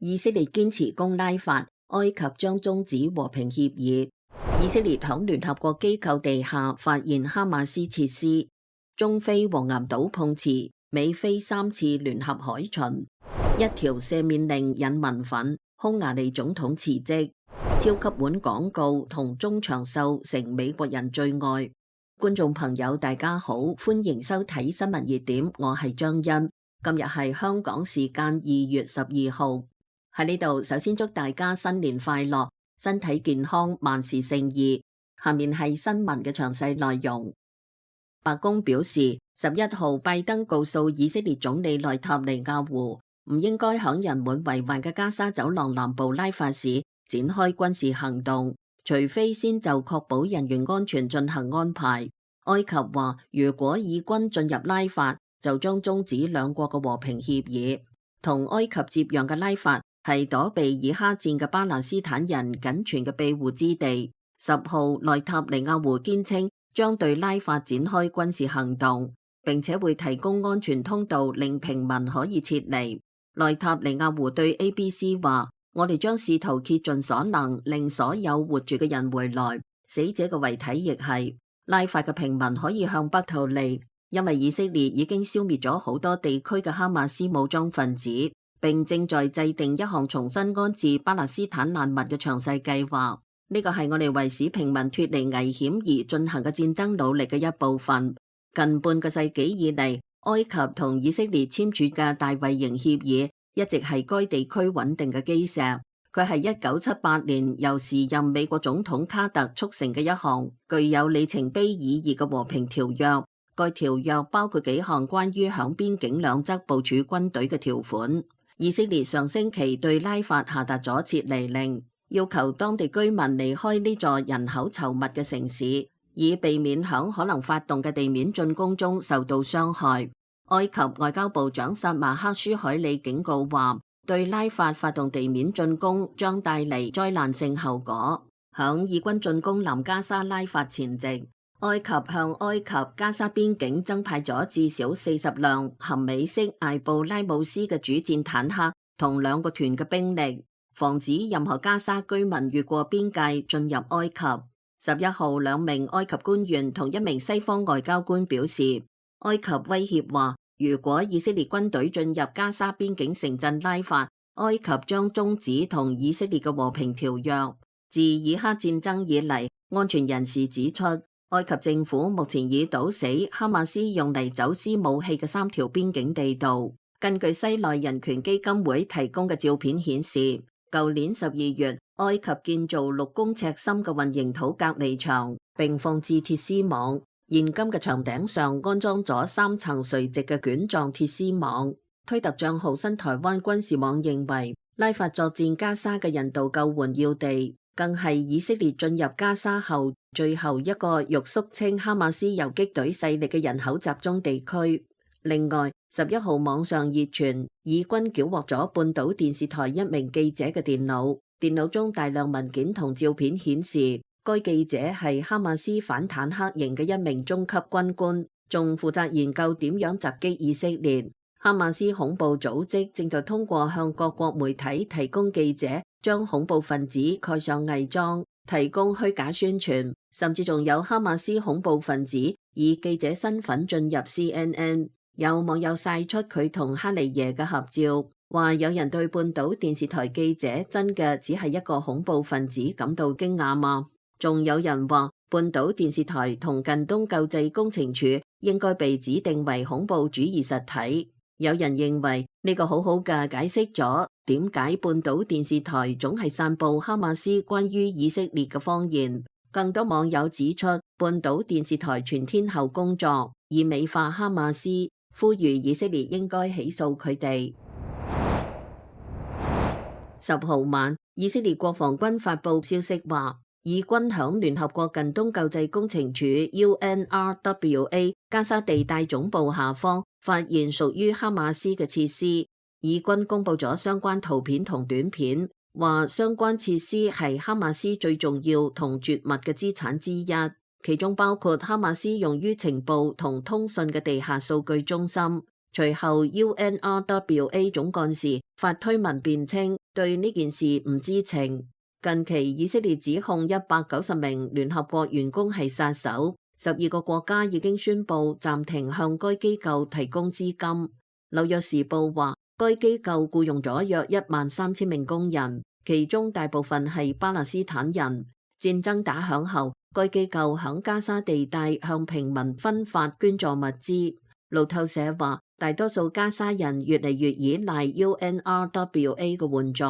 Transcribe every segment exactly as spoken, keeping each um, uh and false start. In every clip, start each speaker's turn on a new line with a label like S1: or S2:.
S1: 以色列堅持攻拉法，埃及將終止和平協議。以色列響聯合國機構地下發現哈馬斯設施。中非黃岩島碰瓷，美菲三次聯合海巡。一條赦免令引民憤，匈牙利總統辭職。超級碗廣告同中長壽成美國人最愛。觀眾朋友大家好，歡迎收睇新聞熱點，我係張欣。今日係香港時間二月十二號。喺呢度首先祝大家新年快樂，身體健康，萬事勝意。下面係新聞嘅詳細內容。白宮表示，十一號拜登告訴以色列總理內塔尼亞胡，唔應該響人滿為患嘅加沙走廊南部拉法市展開軍事行動，除非先就確保人員安全進行安排。埃及話，如果以軍進入拉法，就將終止兩國嘅和平協議。同埃及接壤嘅拉法係躲避以哈戰嘅巴勒斯坦人僅存嘅庇護之地。十號內塔尼亞胡堅稱將對拉法展開軍事行動，並且會提供安全通道令平民可以撤離。內塔尼亞胡對 A B C 話，我哋將試圖竭盡所能令所有活住嘅人回來，死者嘅遺體亦係。拉法嘅平民可以向北逃離，因為以色列已經消滅咗好多地區嘅哈馬斯武裝分子，並正在制定一項重新安置巴勒斯坦難民嘅詳細計劃。呢個係我哋為使平民脫離危險而進行嘅戰爭努力嘅一部分。近半個世紀以嚟，埃及同以色列簽署嘅大衛營協議一直係該地區穩定嘅基石。佢係一九七八年由時任美國總統卡特促成嘅一項具有里程碑意義嘅和平條約。該條約包括幾項關於響邊境兩側部署軍隊嘅條款。以色列上星期對拉法下達咗撤離令，要求當地居民離開呢座人口稠密嘅城市，以避免響可能發動嘅地面進攻中受到傷害。埃及外交部長薩馬克舒海里警告話，對拉法發動地面進攻將帶嚟災難性後果。響以軍進攻南加沙拉法前夕，埃及向埃及加沙邊境增派咗至少四十輛含美式艾布拉姆斯嘅主戰坦克同兩個團嘅兵力，防止任何加沙居民越過邊界進入埃及。十一號，兩名埃及官員同一名西方外交官表示，埃及威脅話，如果以色列軍隊進入加沙邊境城鎮拉法，埃及將終止同以色列嘅和平條約。自以哈戰爭以嚟，安全人士指出，埃及政府目前已堵死哈馬斯用嚟走私武器嘅三條邊境地道。根據西奈人權基金會提供嘅照片顯示，舊年十二月，埃及建造六公尺深嘅混凝土隔離牆，並放置鐵絲網。現今嘅牆頂上安裝咗三層垂直嘅捲狀鐵絲網。推特賬號新台灣軍事網認為，拉法作戰加沙嘅人道救援要地，更係以色列進入加沙後最後一個欲肅清哈馬斯游擊隊勢力嘅人口集中地區。另外，十一號網上熱傳，以軍繳獲咗半島電視台一名記者嘅電腦，電腦中大量文件同照片顯示，該記者係哈馬斯反坦克營嘅一名中級軍官，仲負責研究點樣襲擊以色列。哈馬斯恐怖組織正在通過向各國媒體提供記者將恐怖分子蓋上偽裝，提供虛假宣傳，甚至仲有哈馬斯恐怖分子以記者身份進入 C N N。有網友晒出佢同哈尼耶嘅合照，話有人對半島電視台記者真嘅只係一個恐怖分子感到驚訝嗎？仲有人話半島電視台同近東救濟工程處應該被指定為恐怖主義實體。有人認為呢個好好嘅解釋咗點解半島電視台總係散布哈馬斯關於以色列嘅謊言。更多網友指出，半島電視台全天候工作，以美化哈馬斯，呼籲以色列應該起訴佢哋。十號晚，以色列國防軍發布消息話，以軍響聯合國近東救濟工程處 U N R W A 加沙地帶總部下方發現屬於哈馬斯嘅設施。以軍公布咗相關圖片同短片，話相關設施係哈馬斯最重要同絕密嘅資產之一，其中包括哈馬斯用於情報同通訊嘅地下數據中心。隨後 U N R W A 總幹事發推文辯稱對呢件事唔知情。近期以色列指控一百九十名聯合國員工係殺手，十二個國家已經宣布暫停向該機構提供資金。紐約時報話，該機構僱用咗約一萬三千名工人，其中大部分係巴勒斯坦人。戰爭打響後，該機構響加沙地帶向平民分發捐助物資。路透社話，大多數加沙人越嚟越依賴 U N R W A 嘅援助。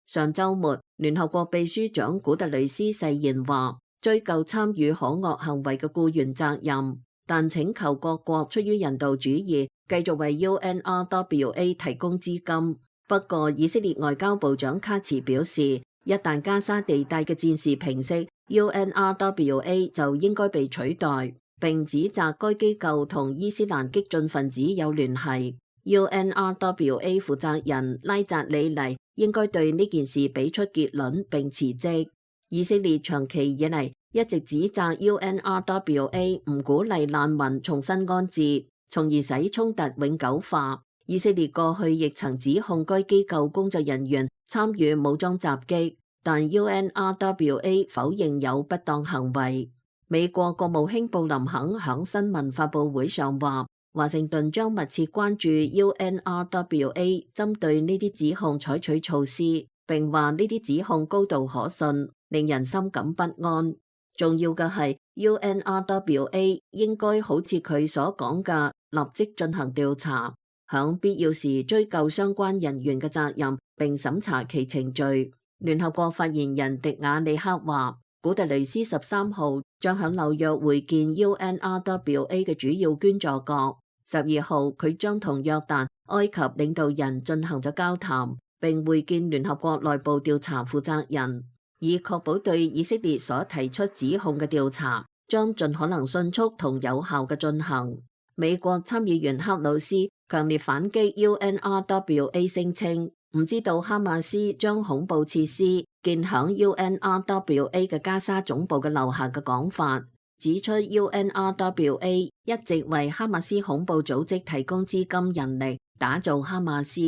S1: 上週末，聯合國秘書長古特雷斯誓言話，追究參與可惡行為嘅僱員責任，但請求各國出於人道主義，繼續為 U N R W A 提供資金。不過，以色列外交部長卡茨表示，一旦加沙地帶嘅戰事平息， U N R W A 就應該被取代，並指責該機構同伊斯蘭激進分子有聯繫。U N R W A 負責人拉扎里尼應該對呢件事俾出結論並辭職。以色列長期以嚟一直指責 U N R W A 唔鼓勵難民重新安置，從而使衝突永久化。以色列過去亦曾指控該機構工作人員參與武裝襲擊，但 U N R W A 否認有不當行為。美國國務卿布林肯響新聞發佈會上話，華盛頓將密切關注 U N R W A 針對呢啲指控採取措施，並話呢啲指控高度可信，令人深感不安。重要嘅係 U N R W A 應該好似佢所講嘅，立即進行調查，響必要時追究相關人員嘅責任，並審查其程序。聯合國發言人迪亞利克話，古特雷斯十三號將響紐約會見 U N R W A 嘅主要捐助國。十二號佢將同約旦、埃及領導人進行咗交談，並會見聯合國內部調查負責人，以確保對以色列所提出指控嘅調查將盡可能迅速同有效嘅進行。美國參議員克魯斯強烈反擊 U N R W A 聲稱唔知道哈馬斯將恐怖設施建響 U N R W A 嘅加沙總部嘅樓下嘅講法，指出 U N R W A 一直為哈馬斯恐怖組織提供資金人力，打造哈馬斯。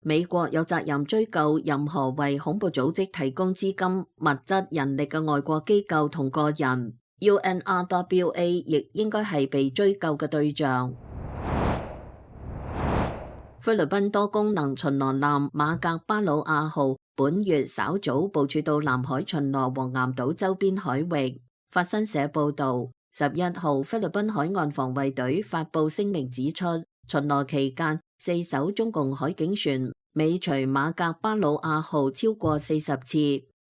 S1: 美國有責任追究任何為恐怖組織提供資金、物質、人力嘅外國機構同個人。U N R W A 亦應該係被追究嘅對象。菲律賓多功能巡邏艦馬格巴魯亞號本月稍早部署到南海巡邏黃岩島周邊海域。法新社報導，十一號菲律賓海岸防衛隊發布聲明指出，巡邏期間四艘中共海警船尾隨馬格巴魯亞號超過四十次，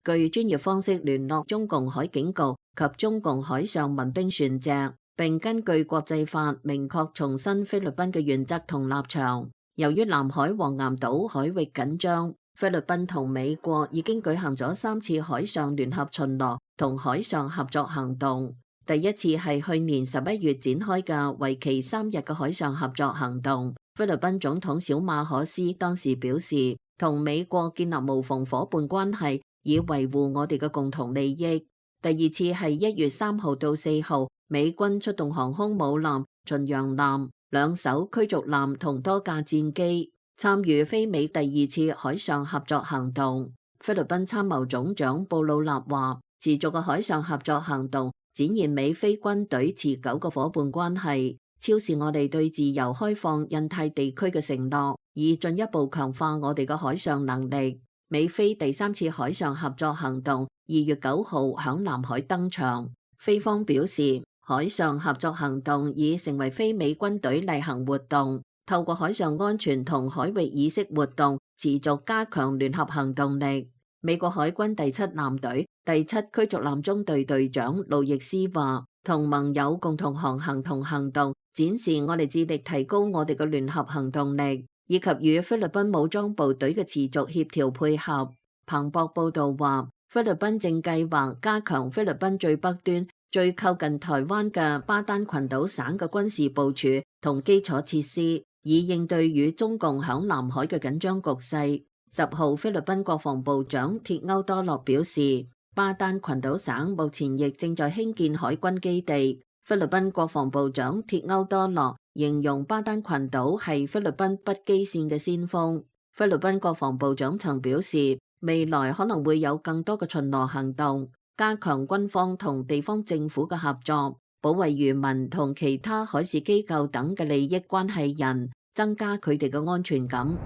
S1: 據專業方式聯絡中共海警局及中共海上民兵船隻，並根據國際法明確重申菲律賓嘅原則同立場。由於南海黃岩島海域緊張，菲律賓同美國已經舉行咗三次海上聯合巡邏同海上合作行動。第一次係去年十一月展開嘅為期三日嘅海上合作行動。菲律賓總統小馬可斯當時表示，同美國建立無縫夥伴關係，以維護我哋嘅共同利益。第二次係一月三號到四號，美軍出動航空母艦、巡洋艦、兩艘驅逐艦同多架戰機，參與菲美第二次海上合作行動。菲律賓參謀總長布魯納話，持續嘅海上合作行動展現美菲軍隊持久嘅夥伴關係，超視我哋對自由開放印太地區嘅承諾，以進一步強化我哋嘅海上能力。美菲第三次海上合作行動二月九號響南海登場。菲方表示，海上合作行動已成為非美軍隊例行活動，透過海上安全同海域意識活動，持續加強聯合行動力。美國海軍第七艦隊第七驅逐艦中隊隊長路易斯話，同盟友共同航行同行動，展示我哋致力提高我哋嘅聯合行動力，以及與菲律賓武裝部隊嘅持續協調配合。彭博報導話，菲律賓正計劃加強菲律賓最北端、最靠近台灣嘅巴丹群島省嘅軍事部署同基礎設施，以應對與中共響南海嘅緊張局勢。十號，菲律賓國防部長鐵歐多洛表示，巴丹群島省目前亦正在興建海軍基地。菲律賓國防部長鐵歐多洛形容巴丹群島係菲律賓北基線嘅先鋒。菲律賓國防部長曾表示，未來可能會有更多嘅巡邏行動，加強軍方同地方政府嘅合作，保衛漁民同其他海事機構等嘅利益關係人，增加佢哋嘅安全感。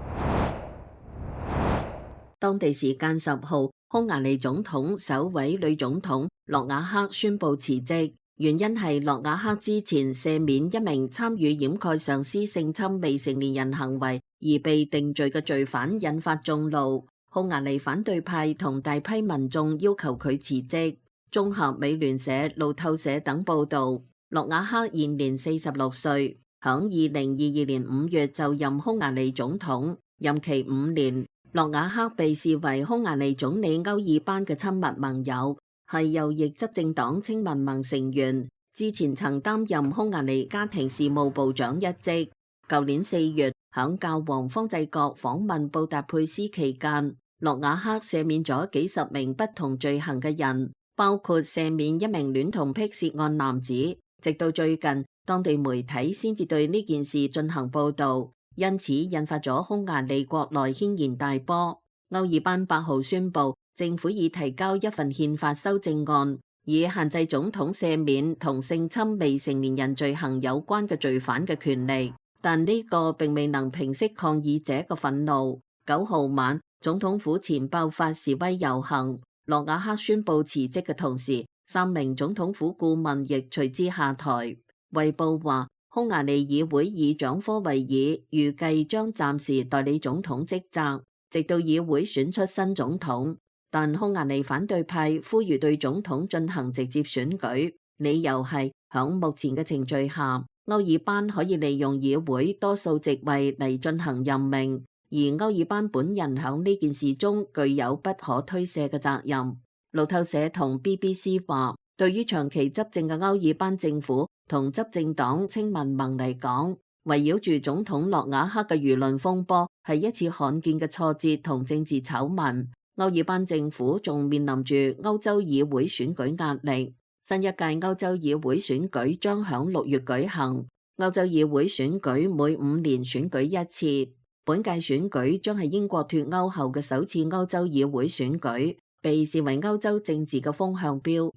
S1: 當地時間十號，匈牙利總統首位女總統諾瓦克宣布辭職，原因係諾瓦克之前赦免一名參與掩蓋上司性侵未成年人行為而被定罪嘅罪犯，引發眾怒。匈牙利反對派同大批民眾要求佢辭職。綜合美聯社、路透社等報道，諾瓦克現年四十六歲，響二零二二年五月就任匈牙利總統，任期五年。諾瓦克被視為匈牙利總理歐爾班嘅親密盟友，係右翼執政黨青民盟成員，之前曾擔任匈牙利家庭事務部長一職。舊年四月，響教皇方濟各訪問布達佩斯期間，諾瓦克赦免咗幾十名不同罪行嘅人，包括赦免一名戀童癖涉案男子。直到最近，當地媒體先至對呢件事進行報道。因此引發咗匈牙利國內軒然大波。歐爾班八號宣布，政府已提交一份憲法修正案，以限制總統赦免同性侵未成年人罪行有關嘅罪犯嘅權利。但呢個並未能平息抗議者嘅憤怒。九號晚，總統府前爆發示威遊行，諾瓦克宣布辭職嘅同時，三名總統府顧問亦隨之下台。衛報話，匈牙利議會議長科維爾預計將暫時代理總統職責，直到議會選出新總統。但匈牙利反對派呼籲對總統進行直接選舉，理由係響目前嘅程序下，歐爾班可以利用議會多數席位嚟進行任命，而歐爾班本人響呢件事中具有不可推卸嘅責任。路透社同 B B C 話，對於長期執政嘅歐爾班政府同執政黨青民盟嚟講，圍繞住總統諾瓦克嘅輿論風波係一次罕見嘅挫折同政治醜聞。歐爾班政府仲面臨住歐洲議會選舉壓力，新一屆歐洲議會選舉將響六月舉行。歐洲議會選舉每五年選舉一次，本屆選舉將係英國脫歐後嘅首次歐洲議會選舉，被視為歐洲政治嘅風向標。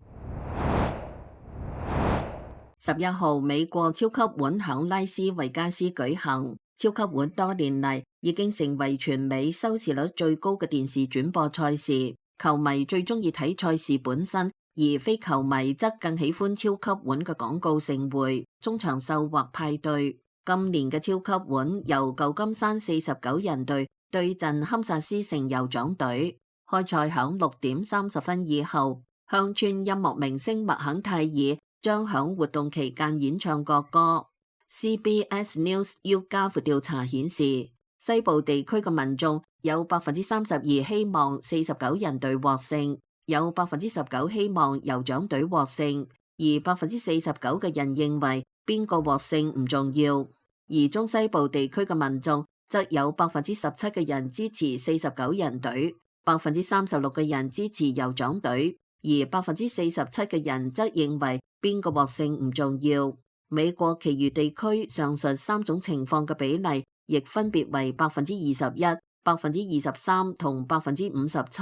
S1: 十一號，美國超級碗響拉斯維加斯舉行。超級碗多年嚟已經成為全美收視率最高嘅電視轉播賽事，球迷最中意睇賽事本身，而非球迷則更喜歡超級碗嘅廣告盛會、中場秀或派對。今年嘅超級碗由舊金山四十九人隊對陣堪薩斯城酋長隊。開賽響六點三十分以後，鄉村音樂明星麥肯泰爾將響活動期間演唱國歌。C B S News YouGov調查顯示，西部地區嘅民眾有百分之三十二希望四十九人隊獲勝，有百分之十九希望酋長隊獲勝，而百分之四十九嘅人認為邊個獲勝唔重要。而中西部地區嘅民眾則有百分之十七嘅人支持四十九人隊，百分之三十六嘅人支持酋長隊，而百分之四十七嘅人則認為邊個獲勝唔重要。美國其餘地區上述三種情況嘅比例亦分別為百分之二十一、百分之二十三同百分之五十七。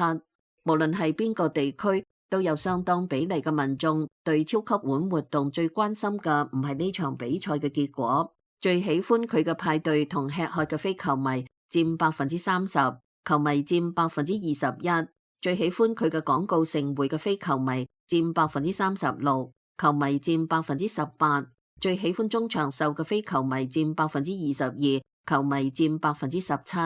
S1: 無論係邊個地區，都有相當比例嘅民眾對超級碗活動最關心嘅唔係呢場比賽嘅結果，最喜歡佢嘅派對同吃喝嘅非球迷佔百分之三十，球迷佔百分之二十一。最喜歡佢嘅廣告盛會嘅非球迷佔百分之三十六，球迷佔百分之十八。最喜歡中場秀嘅非球迷佔百分之二十二，球迷佔百分之十七。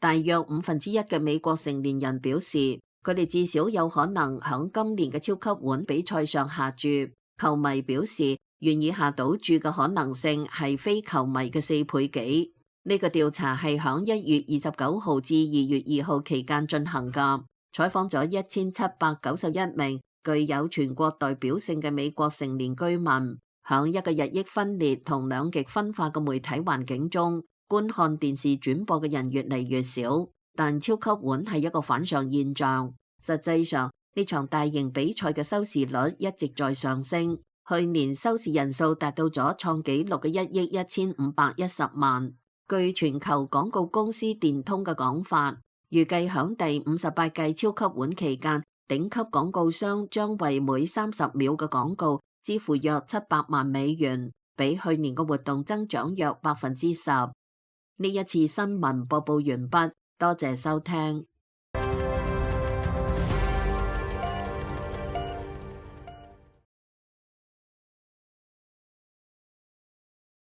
S1: 大約五分之一嘅美國成年人表示，佢哋至少有可能響今年嘅超級碗比賽上下注。球迷表示，願意下賭注嘅可能性係非球迷嘅四倍幾。呢個調查係響一月二十九號至二月二號期間進行㗎，採訪咗一千七百九十一名具有全國代表性嘅美國成年居民。響一個日益分裂同兩極分化嘅媒體環境中，觀看電視轉播嘅人越嚟越少，但超級碗係一個反常現象。實際上，呢場大型比賽嘅收視率一直在上升。去年收視人數達到咗創紀錄嘅一億一千五百一十萬。據全球廣告公司電通嘅講法，預計響第五十八屆超級碗期間，頂級廣告商將為每三十秒嘅廣告支付約七百萬美元，比去年嘅活動增長約百分之十。呢一次新聞播報完畢，多謝收聽。